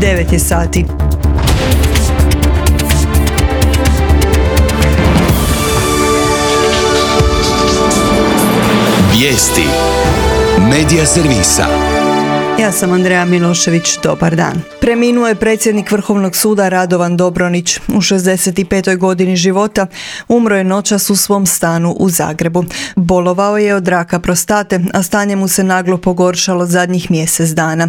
9 je sati. Vijesti Medija servisa. Ja sam Andreja Milošević, dobar dan. Preminuo je predsjednik Vrhovnog suda Radovan Dobronić. U 65. godini života umro je noćas u svom stanu u Zagrebu. Bolovao je od raka prostate, a stanje mu se naglo pogoršalo zadnjih mjesec dana.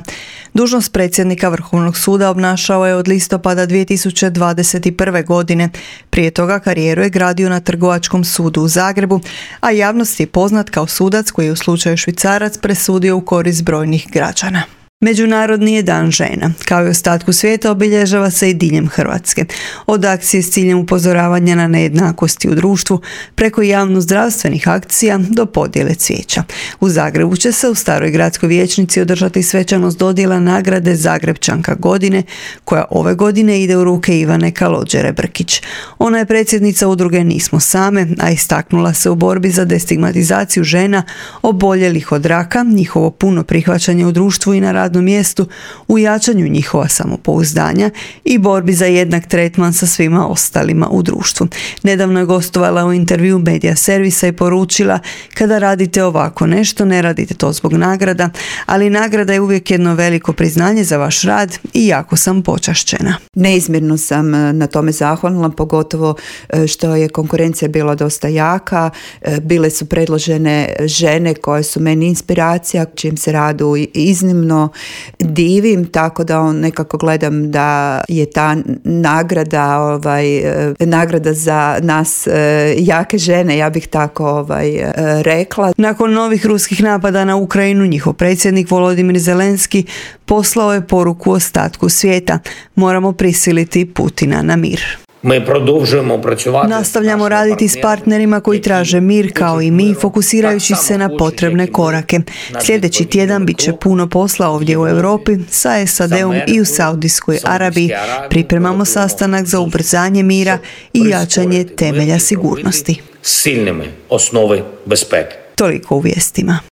Dužnost predsjednika Vrhovnog suda obnašao je od listopada 2021. godine. Prije toga karijeru je gradio na Trgovačkom sudu u Zagrebu, a javnost je poznat kao sudac koji je u slučaju Švicarac presudio u korist brojnih građana. Međunarodni je dan žena. Kao i ostatku svijeta obilježava se i diljem Hrvatske. Od akcije s ciljem upozoravanja na nejednakosti u društvu, preko javno-zdravstvenih akcija do podjele cvijeća. U Zagrebu će se u Staroj gradskoj vijećnici održati svečanost dodjela nagrade Zagrebčanka godine, koja ove godine ide u ruke Ivane Kalođere Brkić. Ona je predsjednica udruge Nismo same, a istaknula se u borbi za destigmatizaciju žena oboljelih od raka, njihovo puno prihvaćanje u društvu i na radnom mjestu, u jačanju njihova samopouzdanja i borbi za jednak tretman sa svima ostalima u društvu. Nedavno je gostovala u intervju Medija servisa i poručila: kada radite ovako nešto, ne radite to zbog nagrada, ali nagrada je uvijek jedno veliko priznanje za vaš rad i jako sam počašćena. Neizmjerno sam na tome zahvalna, pogotovo što je konkurencija bila dosta jaka. Bile su predložene žene koje su meni inspiracija, čijem se radu iznimno divim, tako da nekako gledam da je ta nagrada za nas jake žene, ja bih tako rekla. Nakon novih ruskih napada na Ukrajinu, njihov predsjednik Volodimir Zelenski poslao je poruku ostatku svijeta: moramo prisiliti Putina na mir. Nastavljamo raditi s partnerima koji traže mir kao i mi, fokusirajući se na potrebne korake. Sljedeći tjedan bit će puno posla ovdje u Europi, sa SAD-om i u Saudijskoj Arabiji. Pripremamo sastanak za ubrzanje mira i jačanje temelja sigurnosti. Toliko u vijestima.